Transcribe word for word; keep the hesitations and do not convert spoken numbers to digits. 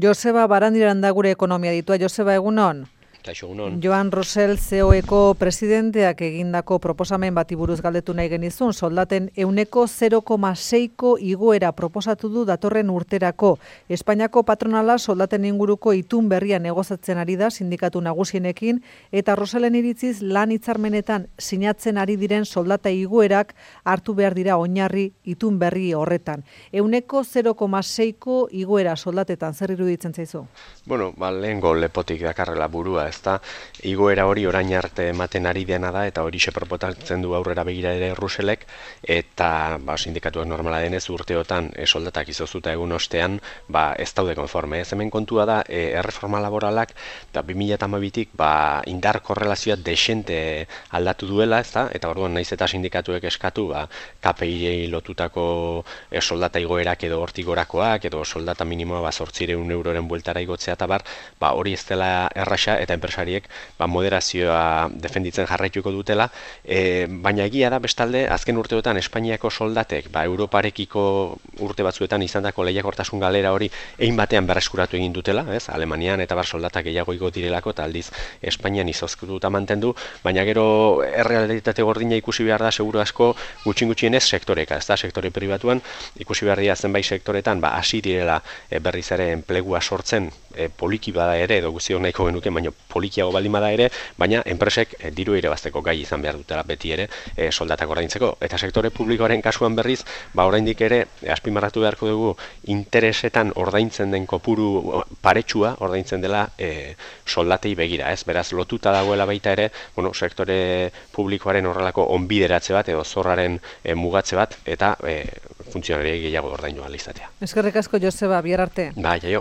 Joseba Barandiranda gure ekonomia ditua. Joseba, egunon? Kaixo, egunon. Joan Rosell C E O-eko presidenteak egindako proposamen bati buruz galdetu nahi genizun, soldaten ehuneko zero koma seiko igoera proposatu du datorren urterako. Espainiako patronala soldaten inguruko itun berria negozatzen ari da sindikatu nagusienekin, eta Rosellen iritziz lan hitzarmenetan sinatzen ari diren soldata igoerak hartu behar dira oinarri itun berri horretan. Ehuneko zero koma seiko igoera soldatetan zer iruditzen zaizu? Bueno, ba, lehengo lepotik dakarrela burua, ezta, igoera hori orain arte ematen ari dena da, eta hori xe proposatzen du aurrera begira ere Ruselek, eta ba, sindikatuak normala denez urteotan e, soldatak izozuta egun ostean, ba, ez daude konforme. Ez hemen kontua da, e, erreforma laboralak, eta bi mila hamabitik ba, indar korrelazioa desente aldatu duela, ezta, eta orduan naiz eta sindikatuek eskatu, ba, K P I lotutako e, soldata igoerak edo hortik gorakoak, edo soldata minimoa ba, zortziehun euroren bueltara igotzea eta bar, ba, hori ez dela erraxa, eta enpresariek ba, moderazioa defenditzen jarraituko dutela, e, baina egia da bestalde azken urteotan Espainiako soldatek ba, Europarekiko urte batzuetan izandako lehiakortasun galera hori egin batean berreskuratu egin dutela, ez? Alemanian eta bar soldatak gehiago igo direlako eta aldiz Espainian izozkututa mantendu, baina gero errealitate gordina ikusi behar da seguru asko gutxin gutxienez sektoreka, ez da, sektore pribatuan ikusi behar dira zenbait sektoretan ba, hasi direla e, berriz ere enplegua sortzen e, poliki bada ere, edo guztiok nahiko genuke, baina polikiago baldin bada ere, baina enpresek e, diru irabazteko gai izan behar dutela beti ere e, soldatak ordaintzeko. Eta sektore publikoaren kasuan berriz, ba oraindik ere e, azpimarratu beharko dugu interesetan ordaintzen den kopuru paretsua ordaintzen dela e, soldatei begira, ez? Beraz lotuta dagoela baita ere, bueno, sektore publikoaren horrelako onbideratze bat edo zorraren e, mugatze bat eta e, funtzionariei gehiago ordaindu ahal izatea. Eskerrik asko, Joseba, bihar arte. Bai, jaio.